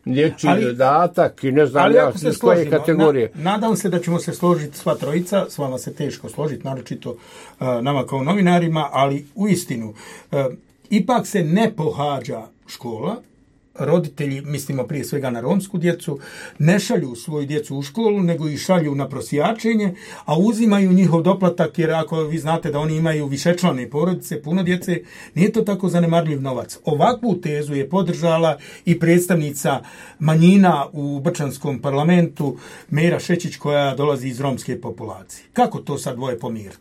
dječji dodatak i ne znam ja iz koje kategorije. Na, nadam se da ćemo se složiti sva trojica, s vama se teško složiti, naročito uh, nama kao novinarima, ali u istinu, uh, ipak se ne pohađa škola roditelji, mislimo prije svega na romsku djecu, ne šalju svoju djecu u školu, nego ih šalju na prosjačenje, a uzimaju njihov doplatak, jer ako vi znate da oni imaju višečlane porodice, puno djece, nije to tako zanemarljiv novac. Ovakvu tezu je podržala i predstavnica manjina u Brčanskom parlamentu, Mera Šećić, koja dolazi iz romske populacije. Kako to sad dvoje pomiriti?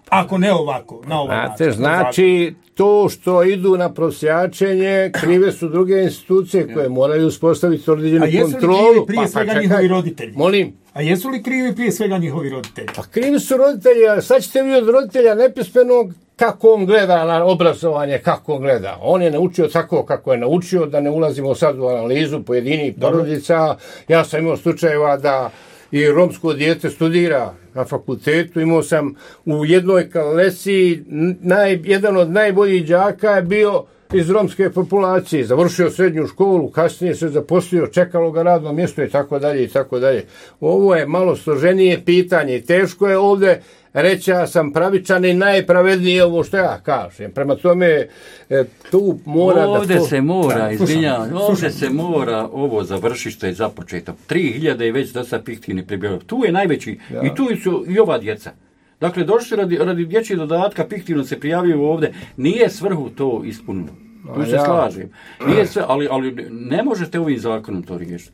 Ako ne ovako, na ovaj Znate, način. znači, to što idu na prosjačenje, krive su druge institucije koje moraju uspostaviti određenu kontrolu. A jesu li krivi prije pa, svega pa, njihovi roditelji? Molim? A jesu li krivi prije svega njihovi roditelji? Pa krivi su roditelji, a sad ćete vi od roditelja nepismenog kako on gleda na obrazovanje, kako on gleda. On je naučio tako kako je naučio, da ne ulazimo sad u analizu pojedinih porodica. Ja sam imao slučajeva da i romsko dijete studira na fakultetu. Imao sam u jednoj kalesi, naj, jedan od najboljih đaka je bio iz romske populacije. Završio srednju školu, kasnije se zaposlio, čekalo ga radno mjesto i tako dalje i tako dalje. Ovo je malo složenije pitanje. Teško je ovdje reći ja sam pravičan i najpravednije ovo što ja kažem. Prema tome, e, tu mora ovdje da... To... se mora, da, izvinjavam, ovdje se mora ovo završiti što je započeto. tri hiljade je već dosta fiktivni prebjegov. Tu je najveći, ja. I tu su i ova djeca. Dakle, došli radi, radi dječjeg dodatka, fiktivno se prijavljaju ovdje. Nije svrhu to ispunilo. Tu se ja. slažem. Nije sve, ali, ali ne možete ovim zakonom to riješiti.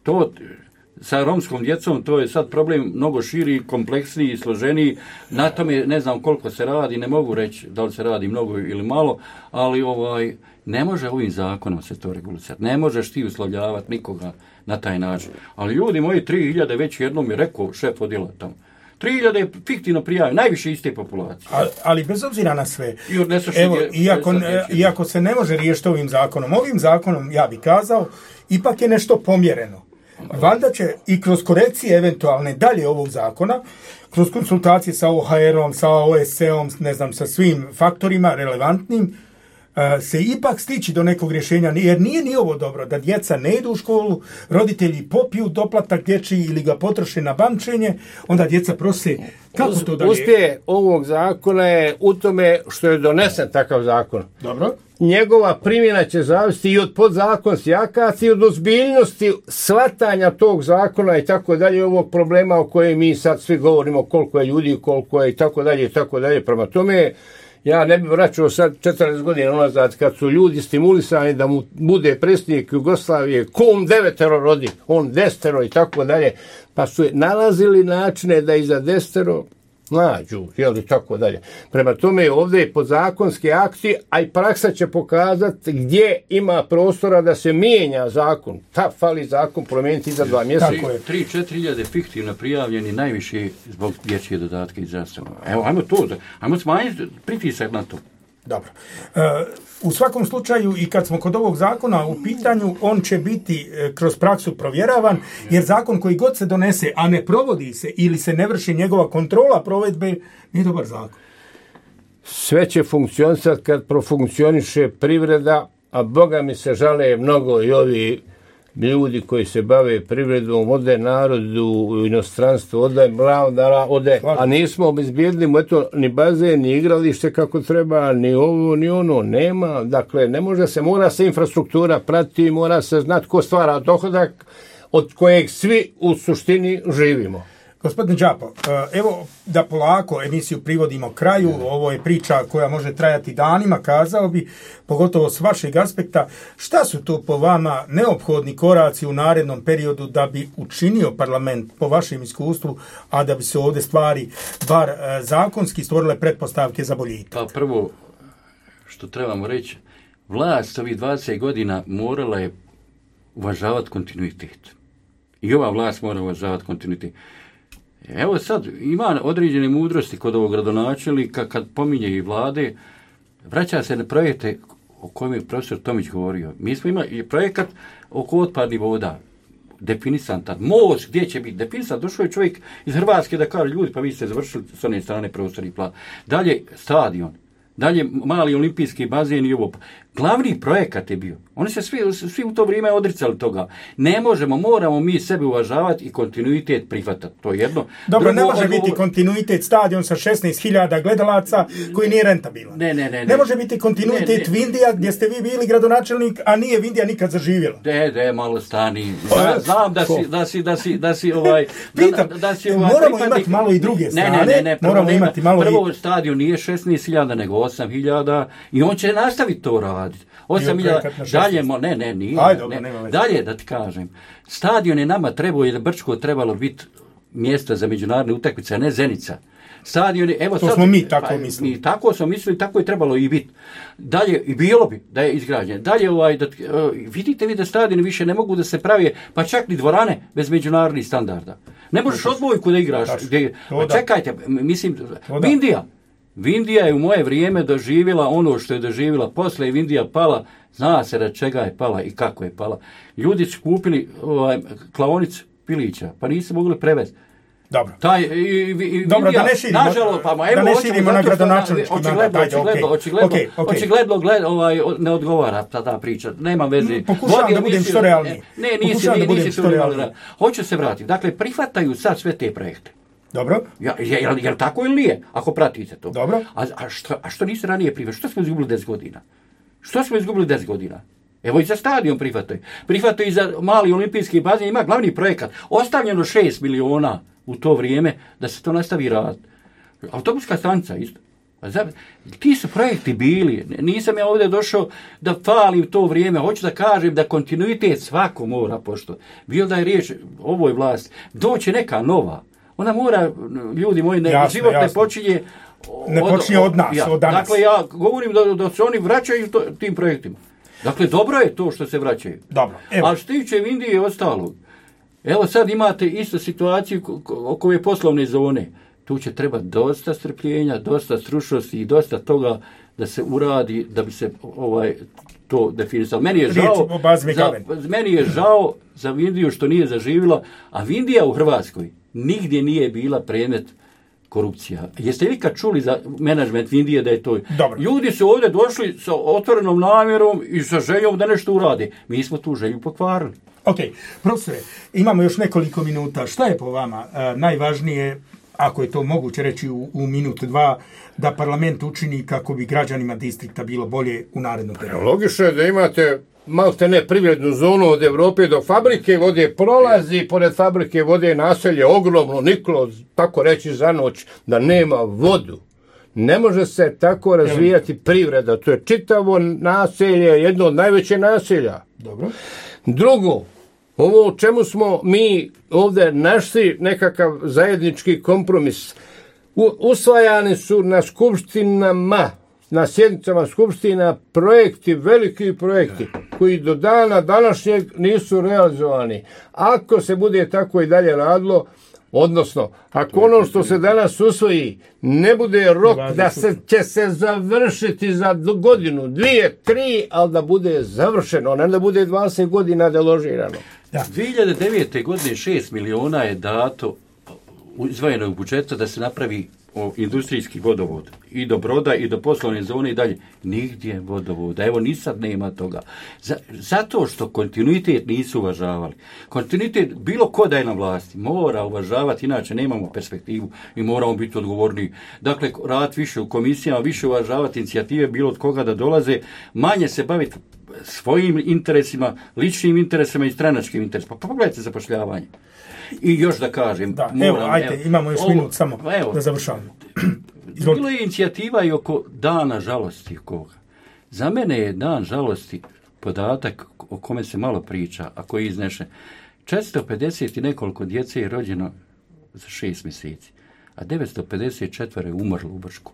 To... Sa romskom djecom to je sad problem mnogo širi, kompleksniji i složeniji. Na tome ne znam koliko se radi, ne mogu reći da li se radi mnogo ili malo, ali ovaj ne može ovim zakonom se to regulirati. Ne možeš ti uslovljavati nikoga na taj način. Ali ljudi moji, tri hiljade već jednom je rekao šef odjela tamo. tri hiljade je fiktivno prijavljeno, najviše iste populacije. Ali, ali bez obzira na sve, evo, iako, iako se ne može riješiti ovim zakonom, ovim zakonom, ja bih kazao, ipak je nešto pomjereno. Valjda će i kroz korekcije eventualne dalje ovog zakona, kroz konsultacije sa O H R-om, sa O S C-om, ne znam, sa svim faktorima relevantnim, se ipak stići do nekog rješenja, jer nije ni ovo dobro da djeca ne idu u školu, roditelji popiju doplatak dječji ili ga potroše na bančenje, onda djeca prose kako to dalje. Uspije ovog zakona je u tome što je donesen takav zakon. Dobro. Njegova primjena će zavisiti i od podzakonskih akata i od ozbiljnosti shvatanja tog zakona i tako dalje, ovog problema o kojem mi sad svi govorimo, koliko je ljudi, koliko je i tako dalje i tako dalje. Prema tome, ja ne bih vraćao sad četrnaest godina unazad kad su ljudi stimulisani da mu bude predsjednik Jugoslavije, kom devetero rodi, on desetero i tako dalje, pa su nalazili načine da iza desetero nađu, jel i tako dalje. Prema tome ovdje je podzakonski akti, a i praksa će pokazati gdje ima prostora da se mijenja zakon. Ta fali zakon promijeniti za dva mjeseca. tri do četiri hiljade fiktivno prijavljeni najviše zbog dječje dodatke i zdravstva. Evo, ajmo to, ajmo smanjiti pritisak na to. Dobro. E, u svakom slučaju i kad smo kod ovog zakona u pitanju, on će biti e, kroz praksu provjeravan, jer zakon koji god se donese, a ne provodi se ili se ne vrši njegova kontrola provedbe, nije dobar zakon. Sve će funkcionisati kad profunkcioniše privreda, a Boga mi se žale mnogo i ovi ljudi koji se bave privredom, ode narodu u inostranstvu, ode mlavdara, ode, a nismo obezbijedili mu eto ni bazen, ni igralište kako treba, ni ovo, ni ono, nema. Dakle, ne može se, mora se infrastruktura pratiti, mora se znati ko stvara dohodak od kojeg svi u suštini živimo. Gospodin Đapo, evo da polako emisiju privodimo kraju, ovo je priča koja može trajati danima, kazao bi, pogotovo s vašeg aspekta, šta su to po vama neophodni koraci u narednom periodu da bi učinio parlament po vašem iskustvu, a da bi se ovdje stvari bar zakonski stvorile pretpostavke za boljitak? Pa prvo, što trebamo reći, vlast ovih dvadeset godina morala je uvažavati kontinuitet. I ova vlast mora uvažavati kontinuitet. Evo sad, ima određene mudrosti kod ovog gradonačelnika kad pominje i vlade, vraća se na projekte o kojem je profesor Tomić govorio. Mi smo imali projekat oko otpadnih voda, definisan tad, most gdje će biti definisan. Došao je čovjek iz Hrvatske da kaže, ljudi, pa vi ste završili s one strane prostorni plan. Dalje, stadion. Dalje, mali olimpijski bazen i ovo. Glavni projekat je bio. Oni se svi, svi u to vrijeme odricali toga. Ne možemo, moramo mi sebe uvažavati i kontinuitet prihvatati. To je jedno. Dobro, Drugo, ne može odgovor... biti kontinuitet stadion sa šesnaest hiljada gledalaca koji nije rentabilan. Ne, ne, ne, ne. Ne može biti kontinuitet ne, ne. Vindija gdje ste vi bili gradonačelnik, a nije Vindija nikad zaživjela. De, de, malo stani. Zna, znam da si, da si, da si, da si ovaj... Pitam, da, da si ovaj moramo pripadnik... imati malo i druge strane. Ne, ne, ne, ne moramo nema, imati malo prvo i... stadion nije šesnaest hiljada, nego osam hiljada i on će nastaviti to raditi. osam hiljada, dalje, ne, ne, nije. Aj, dobro, ne, dalje, da ti kažem. Stadion je nama trebao, jer Brčko trebalo biti mjesto za međunarodne utakmice, a ne Zenica. Stadion je, evo, to sad, smo mi tako pa, mislili. Mi tako smo mislili, tako je trebalo i biti. Dalje, i bilo bi da je izgrađen. Dalje, ovaj, da, uh, vidite vi da stadioni više ne mogu da se pravi, pa čak ni dvorane bez međunarodnih standarda. Ne možeš odbojku da igraš. Gdje, pa čekajte, mislim, Vindija. Vindija je u moje vrijeme doživjela ono što je doživjela. Posle je Vindija pala, zna se da čega je pala i kako je pala. Ljudi su kupili ovaj, klaonicu pilića, pa nisu mogli prevesti. Dobro. Taj, i, i, Dobro, Vindija, da ne širimo, nažalost, pa, ma, evo, da ne širimo na gradonačelnički mandat. Očigledno, očigledno, okay, okay. očigledno gled, ovaj, ne odgovara ta, ta priča. Nema veze. Pokušavam da budem što realniji. Ne, nisi, nisi što realniji. Hoću se vratiti. Dakle, prihvataju sad sve te projekte. Dobro. Ja, je, je, je li tako ili nije, ako pratite to? Dobro. A, a, što, a što niste ranije prihvatili? Što smo izgubili deset godina? Što smo izgubili deset godina? Evo i za stadion prihvataju. Prihvataju i za mali olimpijski bazen. Ima glavni projekat. Ostavljeno šest miliona u to vrijeme da se to nastavi rad. Autobuska stanica isto. Ti su projekti bili. Nisam ja ovdje došao da falim to vrijeme. Hoću da kažem da kontinuitet svako mora pošto. Bilo da je riječ o ovoj vlasti. Doće neka nova. Ona mora, ljudi moji, ne, jasne, život jasne. ne počinje od, ne počinje od nas, ja, od danas. Dakle, ja govorim da, da se oni vraćaju to, tim projektima. Dakle, dobro je to što se vraćaju. Dobro. Evo. A što tiče Vindije i ostalog, evo sad imate isto situaciju oko ove poslovne zone. Tu će trebati dosta strpljenja, dosta stručnosti i dosta toga da se uradi, da bi se ovaj to definisalo. Meni je žao, za, meni je žao za Vindiju što nije zaživjela, a Vindija u Hrvatskoj nigdje nije bila predmet korupcija. Jeste li kad čuli za menadžment Vindije da je to? Dobro. Ljudi su ovdje došli sa otvorenom namjerom i sa željom da nešto urade. Mi smo tu želju pokvarili. Ok, profesore, imamo još nekoliko minuta. Šta je po vama uh, najvažnije, ako je to moguće reći u, u minutu dva, da parlament učini kako bi građanima distrikta bilo bolje u narednom periodu? Logično je da imate malte ne privrednu zonu od Evrope do fabrike vode, prolazi pored fabrike vode naselje ogromno, niklo, tako reći za noć, da nema vodu. Ne može se tako razvijati privreda. To je čitavo naselje, jedno od najveće naselja. Dobro. Drugo, ovo u čemu smo mi ovdje našli nekakav zajednički kompromis. U, usvajani su na skupštinama, na sjednicama skupština projekti, veliki projekti, koji do dana današnjeg nisu realizovani. Ako se bude tako i dalje radilo, odnosno, ako ono što se danas usvoji ne bude rok da se će se završiti za godinu, dvije, tri, ali da bude završeno, ne da bude dvadeset godina deložirano. Da. dvije hiljade devete. godine šest miliona je dato izdvojeno u budžetu da se napravi o industrijski vodovod i do Broda i do poslovne zone i dalje. Nigdje vodovoda. Evo, ni sad nema toga. Z- zato što kontinuitet nisu uvažavali. Kontinuitet, bilo ko da je na vlasti, mora uvažavati, inače nemamo perspektivu i moramo biti odgovorni. Dakle, rad više u komisijama, više uvažavati inicijative, bilo od koga da dolaze, manje se baviti svojim interesima, ličnim interesima i stranačkim interesima. Pa pogledajte zapošljavanje. I još da kažem... Da, moram, evo, ajte, evo, imamo još ovo, minut samo evo, da završavamo. Bilo je inicijativa i oko dana žalosti koga. Za mene je dan žalosti podatak o kome se malo priča, a koji izneše. četiristo pedeset i nekoliko djece je rođeno za šest mjeseci, a devetsto pedeset četiri je umrlo u Brčku.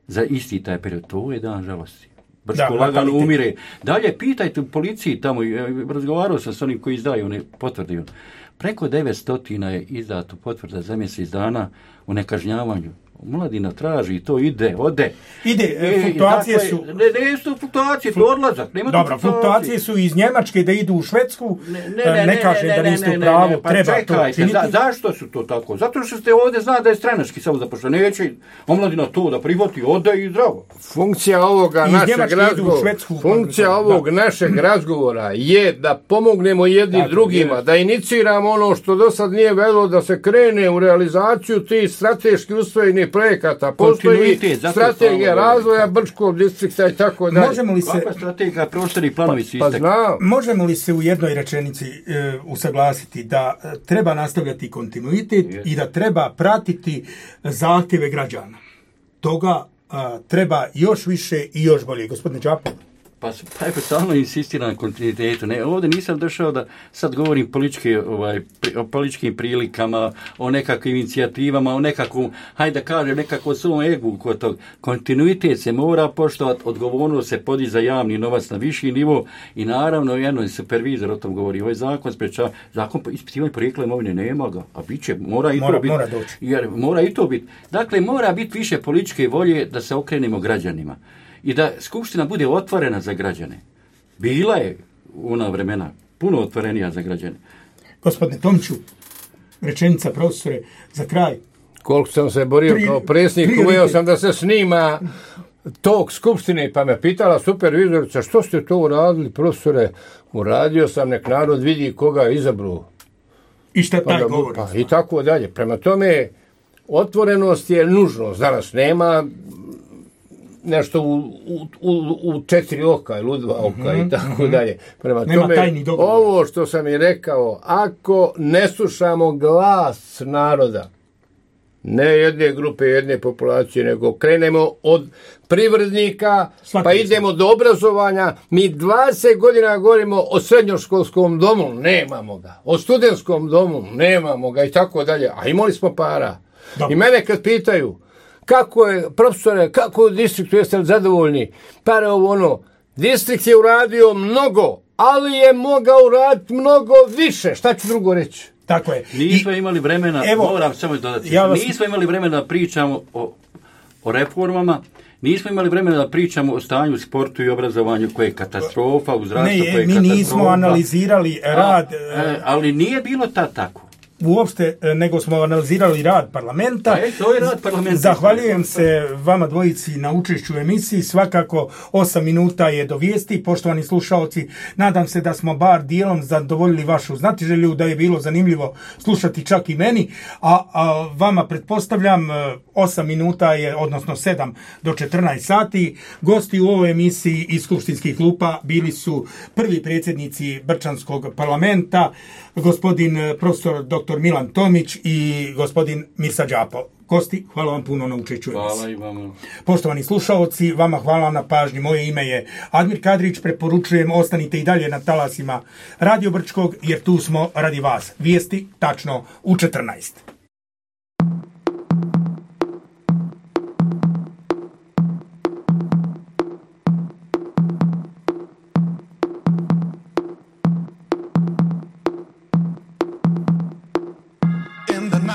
Za isti taj period, to je dan žalosti. Brčko lagano umire. Dalje, pitajte u policiji tamo, razgovarao sam s onim koji izdaju one potvrde. Preko devetsto je izdato potvrda za mjesec dana u nekažnjavanju Omladina traži, to ide, ode. Ide, e, fluktuacije dakle, su... Ne, ne su fluktuacije, to odlazak. Nema Dobro, fluktuacije su iz Njemačke da idu u Švedsku, ne, ne, ne, ne kažem ne, ne, da niste u pravu, ne, ne, pa treba čekajte, to činiti. Za, zašto su to tako? Zato što ste ovdje zna da je stranački samo zapošljeno. Neće omladina to da prihvati, ode i zdravo. Funkcija ovoga iz našeg razgovora, funkcija ovog da. našeg razgovora je da pomognemo jedni dakle, drugima, je. da iniciramo ono što do sad nije velo, da se krene u realizaciju tih strateški usvojenih projekata. Postoji strategija razvoja Brčkog distrikta i tako dalje. Možemo li se... Kakva strategija, prostorni planovi su pa, pa Možemo li se u jednoj rečenici e, usaglasiti da e, treba nastavljati kontinuitet yes. i da treba pratiti zahtjeve građana? Toga a, treba još više i još bolje. Gospodine Đapo. Pa, pa evo, stalno insistiram na kontinuitetu. Ne, ovdje nisam došao da sad govorim političke, ovaj, o političkim prilikama, o nekakvim inicijativama, o nekakvom, hajde da kažem, nekakvom svom egu kod tog. Kontinuitet se mora poštovati, odgovornost se podići za javni novac na viši nivo i naravno jedno supervizor o tom govori. Ovaj zakon sprečava, zakon ispitivanja porijekla imovine nema ga, a bit će, mora i mora, to biti. Mora doći. Jer mora i to biti. Dakle, mora biti više političke volje da se okrenemo građanima. I da Skupština bude otvorena za građane. Bila je u ona vremena puno otvorenija za građane. Gospodine Tomiću, rečenica profesore za kraj. Koliko sam se borio pri, kao predsjednik, uveo sam da se snima tog Skupštine, pa me pitala supervizorica, što ste to uradili, profesore? Uradio sam, nek narod vidi koga je izabrao. I šta taj govori? Pa, i tako dalje. Prema tome, otvorenost je nužnost. Danas nema nešto u, u, u, u četiri oka ili u dva oka mm-hmm, i tako mm-hmm. dalje. Prema nema tome, ovo što sam i rekao, ako ne slušamo glas naroda, ne jedne grupe, jedne populacije, nego krenemo od privrednika, Svaki pa idemo do obrazovanja, mi dvadeset godina govorimo o srednjoškolskom domu, nemamo ga, o studentskom domu, nemamo ga i tako dalje, a imali smo para. Dobro. I mene kad pitaju, kako je, profesore, kako u distriktu jeste li zadovoljni? Pare ovo ono, distrikt je uradio mnogo, ali je mogao uraditi mnogo više. Šta ću drugo reći? Tako je. Nismo I, imali vremena, evo, moram samo dodati, ja vas... nismo imali vremena da pričamo o, o reformama, nismo imali vremena da pričamo o stanju u sportu i obrazovanju koje je katastrofa, u zdravstvu koje je mi katastrofa. Mi nismo analizirali rad... A, a, ali nije bilo tad tako. Uopšte, nego smo analizirali rad parlamenta. E, to je rad parlamenta. Zahvaljujem se vama dvojici na učešću u emisiji. Svakako osam minuta je do vijesti. Poštovani slušaoci, nadam se da smo bar dijelom zadovoljili vašu znatiželju, da je bilo zanimljivo slušati čak i meni. A, a vama pretpostavljam, osam minuta je, odnosno sedam do četrnaest sati. Gosti u ovoj emisiji iz skupštinskih klupa bili su prvi predsjednici Brčanskog parlamenta, gospodin profesor doktor Milan Tomić i gospodin Mirsa Đapo. Gosti, hvala vam puno na učešću. Hvala i vama. Poštovani slušaoci, vama hvala na pažnji. Moje ime je Admir Kadrić. Preporučujem, ostanite i dalje na talasima Radio Brčkog, jer tu smo radi vas. Vijesti tačno u četrnaest.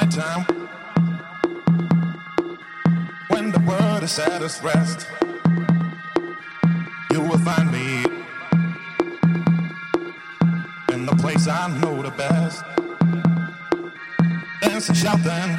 Time when the world is at its rest, you will find me in the place I know the best, dancing, shouting,